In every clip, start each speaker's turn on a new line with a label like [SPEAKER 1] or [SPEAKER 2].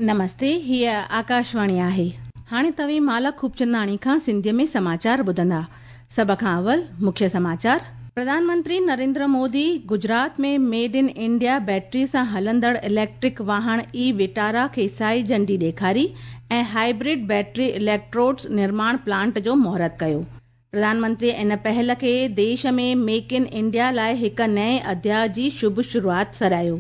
[SPEAKER 1] نمستي، هيء آڪاشواڻي آهي. هاڻي توهين مالا خوبچنداڻي کان سنڌيء ۾ سماچار ٻڌندا. سڀ کان اول مکيه سماچار. Pradhan Mantri Narendra Modi Gujarat ۾ made in India battery سان هلندڙ اليڪٽرڪ واهڻ اي وٽارا کي سائي جهنڊي ڏيکاري ۽ هائبرڊ بيٽري اليڪٽروڊز نرماڻ پلانٽ جو مهورت ڪيو. پرڌان منتري ان پهل کي ديش ۾ ميڪ ان انڊيا لاء هڪ نئين اڌياء جي شڀ شروعات سڏايو.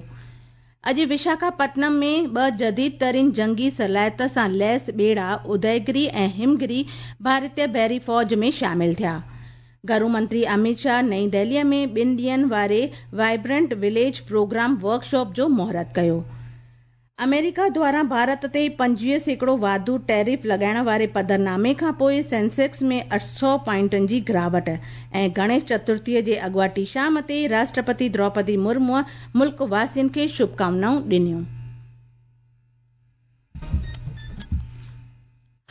[SPEAKER 1] اڄ وشاکاپٽنم ۾ ٻه جديد ترين جنگي صلاحيت سان ليس ٻيڙا اديگري ۽ همگري ڀارتي بحري فوج ۾ شامل ٿيا. گهرو منتري اميت شاهه نئين دهلي ۾ ٻن ڏينهن واري وائبرنٽ وليج پروگرام ورڪشاپ جو مهورت ڪيو. آمريڪا دواران ڀارت تي 25% واڌو ٽيرف لڳائڻ واري پڌرنامي کانپوء سينسيڪس ۾ 800 پوائنٽن جي گراوٽ ۽ گڻيش چترٿي جي اڳواٽي شام تي راشٽرپتي دروپدي مرموء ملڪ واسين کي شڀڪامنائون ڏنيون.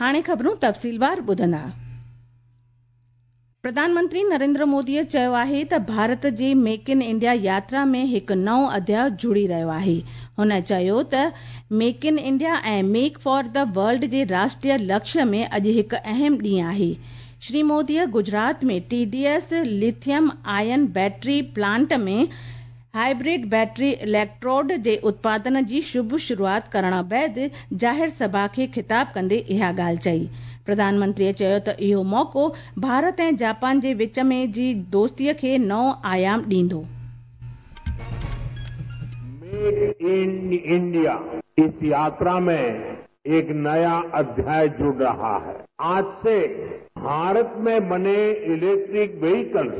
[SPEAKER 1] هاڻي خبرون تفصيلوار ٻڌندا. پرڌان منتري نريندر موديء چيو آهي ته ڀارت جي ميڪ ان انڊيا ياترا ۾ هڪ نئون اڌياء جڙي رهيو آهي. هن چيو ته make in India ۽ make for the world جي راشٽريه لڪشيه ۾ اڄ هڪ اهم ڏينهن آهي. Shri موديء Gujarat ۾ T D S lithium ion battery plant ۾ hybrid battery electrode جي اتپادن جي شڀ شروعات ڪرڻ بعد ظاهر سڀا کي خطاب ڪندي اها ڳالهه چئي. پرڌان منتريء چيو ته اهو موقعو ڀارت ۽ جاپان جي وچ ۾ جي دوستيء کي نئون آيام ڏيندو.
[SPEAKER 2] ميڪ ان انڊيا اس ياترا ۾ ايڪ نيا اڌياء جڙ رها هي. آج سي ڀارت ۾ بني اليڪٽرڪ وهيڪلز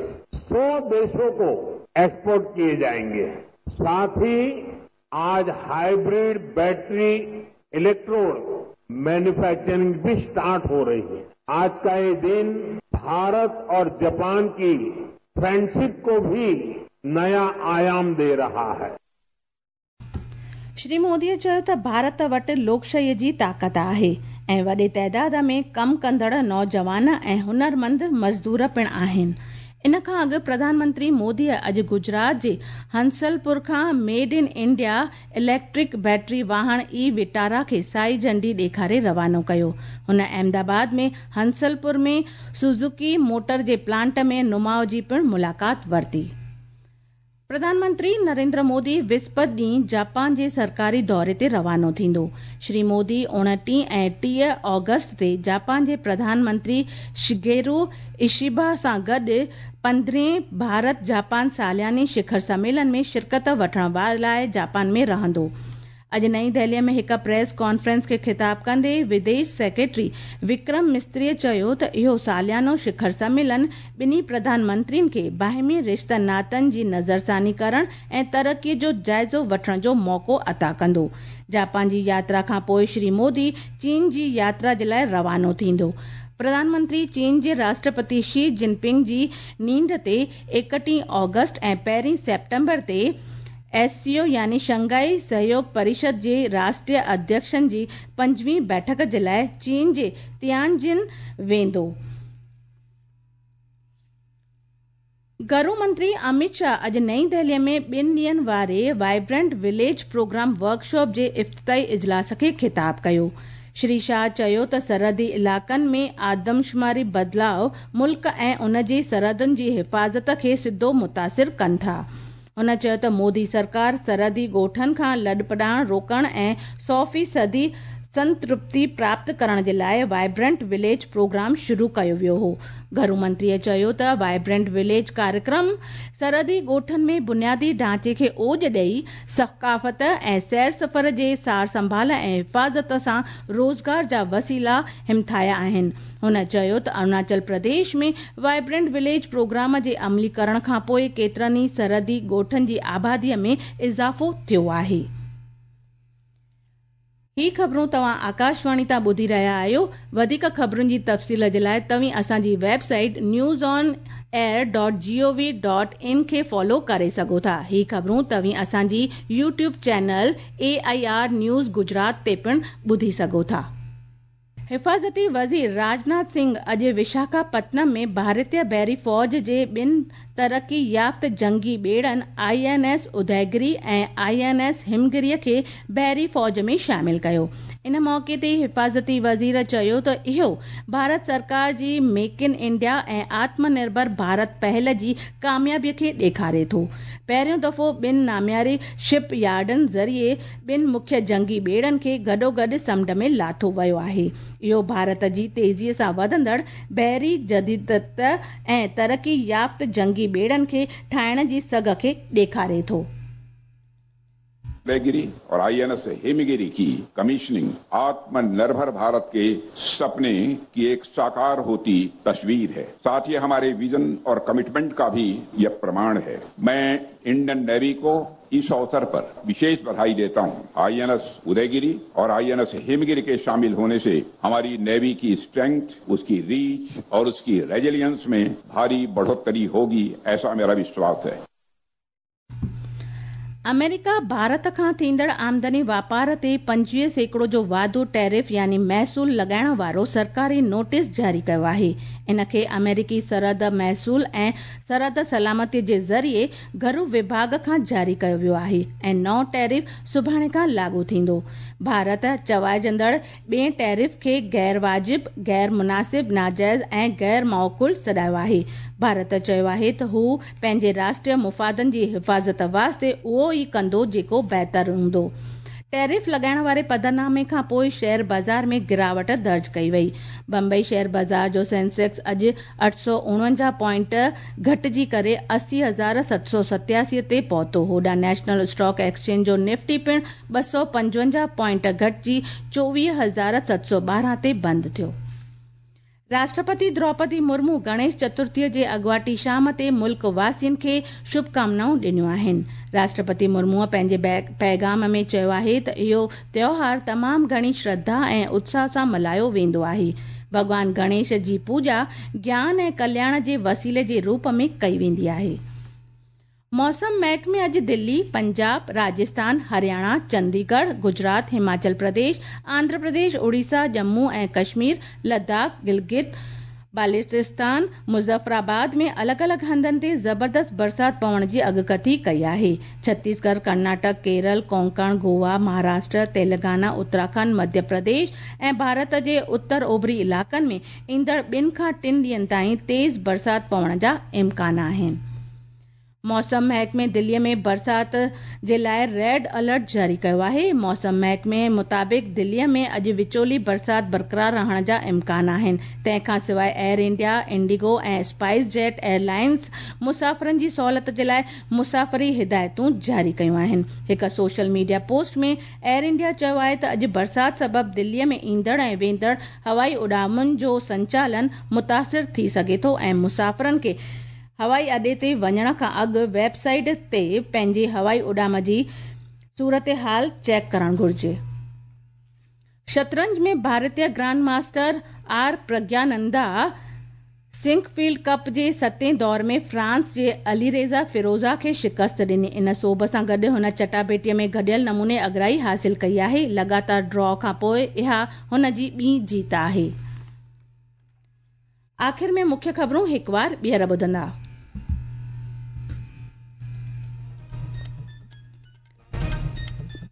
[SPEAKER 2] 100 ديشون ڪو ايڪسپورٽ ڪيئي جائينگي. ساٿ هي آج هائبرڊ بيٽري اليڪٽروڊ مينوفيڪچرنگ ڀي اسٽارٽ هو رهي هي. آج ڪا يي دن ڀارت اور جاپان ڪي فرينڊشپ ڪو ڀي نيا آيام the رها هي.
[SPEAKER 1] شري مودي چيو ته ڀارت وٽ لوڪشاهي جي طاقت آهي ۽ وڏي تعداد ۾ ڪم ڪندڙ نوجوان ۽ هنرمند مزدور پڻ آهن. ان کان اڳ پرڌان منتري مودي اڄ گجرات جي هنسلپور کان made in India electric battery واهڻ اي وٽارا کي سائي جهنڊي ڏيکاري روانو ڪيو. هن احمدآباد ۾ هنسلپور ۾ سوزوڪي موٽر جي پلانٽ ۾ نماء جي پڻ ملاقات ورتي. پرڌان منتري نريندر مودي وسپت ڏينهن جاپان جي سرڪاري دوري تي روانو ٿيندو. شري مودي 29 ۽ 30 آگسٽ تي جاپان جي پرڌان منتري شگيرو اشيبا سان گڏ پندرهين ڀارت جاپان سالياني شکر سميلن ۾ شرڪت وٺڻ لاء جاپان ۾ رهندو. اڄ نئين دهلي ۾ هڪ پريس ڪانفرنس کي خطاب ڪندي وديش سيڪريٽري وڪرم مستري چيو ته اهو ساليانو شکر سميلن ٻنهي پرڌان منترين کي باهمي رشتن ناتن جي نظرثاني ڪرڻ ۽ ترقي جو جائزو وٺڻ جو موقعو عطا ڪندو. جاپان جي ياترا کان پوء شري مودي چين جي ياترا جي لاء روانو ٿيندو. پرڌان منتري چين جي راشٽرپتي شي جن پنگ جي نينڍ تي 31 آگسٽ ۽ پهرين سيپٽمبر تي ايس سي او يعني شنگهائي سهيوگ پريشد جي راشٽريه اڌيڪشن جي پنجويهين بيٺڪ جي لاء چين جي تيانجن ويندو. گهرو منتري اميت شاهه اڄ نئين دهلي ۾ ٻن ڏينهن واري وائبرنٽ وليج پروگرام ورڪشاپ جي افتتاحي اجلاس کي خطاب ڪيو. شري شاهه چيو ته سرحدي علائقن ۾ آدمشماري بدلاء ملڪ ۽ ان جي سرحدن جي حفاظت کي سڌو متاثر ڪن ٿا. هن چيو ته مودي سرڪار سرحدي ڳوٺن کان لڏپلاڻ روڪڻ ۽ سؤ فيصدي سنترپتي پراپت ڪرڻ جي لاء وائبرنٽ وليج پروگرام شروع ڪيو ويو هو. گهرو منتري چيو ته وائبرنٽ وليج ڪاريڪرم سرحدي ڳوٺن ۾ بنيادي ڍانچي کي اوڄ ڏئي ثقافت ۽ سير سفر جي سار سنڀال ۽ حفاظت سان روزگار جا وسيلا همٿايا آهن. هن چيو ته Arunachal Pradesh ۾ vibrant village programme جي عملي ڪرڻ کانپوء ڪيترن ئي سرحدي ڳوٺن جي آبادي ۾ اضافو ٿيو آهي. هي خبرون توهان آڪاشواڻي تان ٻڌي رهيا آهيو. وڌيڪ خبرن جي تفصيل جي لاء توهين اسان جي website news on air dot G O V dot in کي فالو ڪري سگهو ٿا. هي خبرون توهين اسان جي YouTube channel A I R news Gujarat تي پڻ ٻڌي سگهو ٿا. हिफ़ाज़ती वज़ीर राजनाथ सिंह अॼु विशाखापत्तनम में भारतीय बहरी फ़ौज जे ॿिनि तरक़ी याफ़्त जंगी ॿेड़नि आईएनएस उदयगिरी ऐं आईएनएस हिमगिरीअ खे बहरी फ़ौज में शामिल कयो। इन मौक़े ते हिफ़ाज़ती वज़ीर चयो त इहो भारत सरकार जी मेक इन इंडिया ऐं आत्मनिर्भर भारत पहल जी कामयाबीअ खे ॾेखारे थो। पहिरियों दफ़ो ॿिनि नामियारी शिप यार्डनि ज़रिए ॿिनि मुख्य जंगी ॿेड़नि खे गॾोगॾु समुंड में लाथो वियो आहे। इहो भारत जी तेज़ीअ सां वधंदड़ बहरी जदीदियत ऐं तरक़ी याफ़्त जंगी ॿेड़नि खे ठाहिण जी सघ खे ॾेखारे थो।
[SPEAKER 3] उदयगिरी और आईएनएस हिमगिरी की कमीशनिंग आत्मनिर्भर भारत के सपने की एक साकार होती तस्वीर है। साथ ही हमारे विजन और कमिटमेंट का भी यह प्रमाण है। मैं इंडियन नेवी को इस अवसर पर विशेष बधाई देता हूं। आईएनएस उदयगिरी और आईएनएस हिमगिरी के शामिल होने से हमारी नेवी की स्ट्रेंथ, उसकी रीच और उसकी रेजिलियंस में भारी बढ़ोतरी होगी, ऐसा मेरा विश्वास है।
[SPEAKER 1] अमेरिका भारत खां थींदड़ आमदनी वापार ते 25% जो वाधू टैरिफ यानी महसूल लॻाइण वारो सरकारी नोटिस जारी कयो आहे। इन खे अमेरिकी सरहद महसूल ऐं सरहद सलामती जे ज़रिए घरू विभाग खां जारी कयो वियो आहे ऐं नओं टैरिफ सुभाणे खां लागू थींदो। भारत चवाइजंदड़ ॿिए टैरिफ खे गैर वाजिब, गैर मुनासिब, नाजाइज़ ऐं गैर माक़ूल सॾायो आहे। भारत चयो आहे त हू पंहिंजे राष्ट्रीय मुफ़ादनि जी हिफ़ाज़त वास्ते उहो ई कंदो जेको बहितर हूंदो। टैरिफ लॻाइण वारे पधरनामे खां पोइ शेयर बाज़ार में गिरावट दर्ज कई वई। बम्बई शेयर बाज़ार जो सेंसेक्स अॼु 849 पॉइंट घटिजी करे 80,787 ते पहुतो। होॾां नेशनल स्टॉक एक्सचेंज जो निफ्टी पिणु 255 पॉइंट घटिजी 24,712 ते बंदि थियो। राष्ट्रपति द्रौपदी मुर्मू गणेश चतुर्थीअ जे अॻुवाटी शाम ते मुल्क वासियुनि खे शुभकामनाऊं ॾिनियूं आहिनि। राष्ट्रपति मुर्मूअ पंहिंजे पैगाम में चयो आहे त इहो त्योहार तमामु घणी श्रद्धा ऐं उत्साह सां मल्हायो वेंदो आहे। भॻवान गणेश जी पूॼा ज्ञान ऐं कल्याण जे वसीले जे रूप में कई वेंदी आहे। मौसम महकमे अॼु दिल्ली, पंजाब, राजस्थान, हरियाणा, चंडीगढ़, गुजरात, हिमाचल प्रदेश, आंध्र प्रदेश, उड़ीसा, जम्मू ऐं कश्मीर, लद्दाख, गिलगित बाल्टिस्तान, मुज़फ़राबाद में अलॻि-अलॻि हंधनि ते ज़बरदस्त बरसाति पवण जी अॻकथी कई आहे। छत्तीसगढ़, कर्नाटक, केरल, कोंकण, गोवा, महाराष्ट्र, तेलंगाना, उत्तराखंड, मध्य प्रदेश ऐं भारत जे उत्तर ओभरी इलाइक़नि में ईंदड़ ॿिनि खां टिनि ॾींहंनि ताईं तेज़ बरसाति पवण जा इम्कान आहिनि। मौसम महकमे दिल्लीअ में बरसाति जे लाइ रेड अलर्ट जारी कयो आहे। मौसम महकमे मुताबिक़ दिल्लीअ में अॼु विचोली बरसाति बरक़रार रहण जा इम्कान आहिनि। तंहिंखां सवाइ एयर इंडिया, इंडिगो ऐं स्पाइस जेट एयरलाइंस मुसाफ़िरनि जी सहूलियत जे लाइ मुसाफ़िरी हिदायतूं जारी कयूं आहिनि। हिकु सोशल मीडिया पोस्ट में एयर इंडिया चयो आहे त अॼु बरसाति सबबु दिल्लीअ में ईंदड़ ऐं वेंदड़ हवाई उॾामनि जो संचालन मुतासिर थी सघे थो ऐं मुसाफ़िरनि खे हवाई अॾे ते वञण खां अॻु वेबसाइट ते पंहिंजी हवाई उॾाम जी सूरत हाल चेक करणु घुरिजे। शतरंज में भारतीय grand master R Praggnanandhaa Sinquefield cup जे सतें दौर में फ्रांस जे अलीरेज़ा फिरोज़ा खे शिकस्त ॾिनी। इन सोभ सां गॾु हुन चटाभेटीअ में गॾियल नमूने अॻिराई हासिल कई आहे। लगातार ड्रॉ खां पोइ इहा हुन जी ॿी जीत आहे। आख़िर में मुख्य ख़बरूं हिकु वार ॿीहर ॿुधंदा।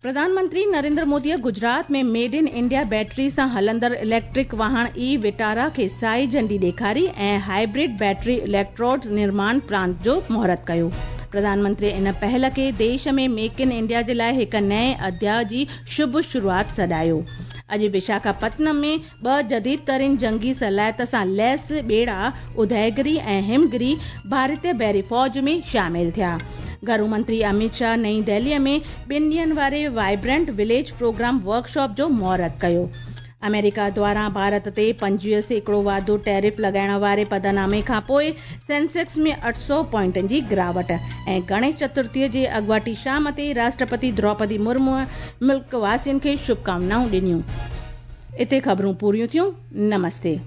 [SPEAKER 1] प्रधानमंत्री नरेंद्र मोदीअ गुजरात में मेड इन इंडिया बैटरी सां हलंदड़ इलेक्ट्रिक वाहन ई विटारा खे साई झंडी ॾेखारी ऐं हाइब्रिड बैटरी इलेक्ट्रोड निर्माण प्लांट जो मुहूर्त कयो। प्रधानमंत्री इन पहल खे देश में मेक इन इंडिया जे लाइ हिकु नए अध्याय जी शुभ शुरूआत सॾायो। अॼु विशाखापत्तनम में ॿ जदीद तरीन जंगी सलाहियत सां लैस ॿेड़ा उदयगिरी ऐं हिमगिरी भारतीय बहरी फ़ौज में शामिल थिया। घरू मंत्री अमित शाह नई दिल्लीअ में ॿिनि ॾींहंनि वारे वाइब्रेंट विलेज प्रोग्राम वर्कशॉप जो मुहूर्त कयो। अमेरिका द्वारा भारत ते 25% वाधू टैरिफ लॻाइण वारे पधरनामे खां पोइ सेंसेक्स में 800 पॉइंटनि जी गिरावट ऐं गणेश चतुर्थीअ जे अॻुवाटी शाम ते राष्ट्रपति द्रौपदी मुर्मूअ मुल्क वासियुनि खे शुभकामनाऊं ॾिनियूं। हिते ख़बरूं पूरियूं थियूं। नमस्ते।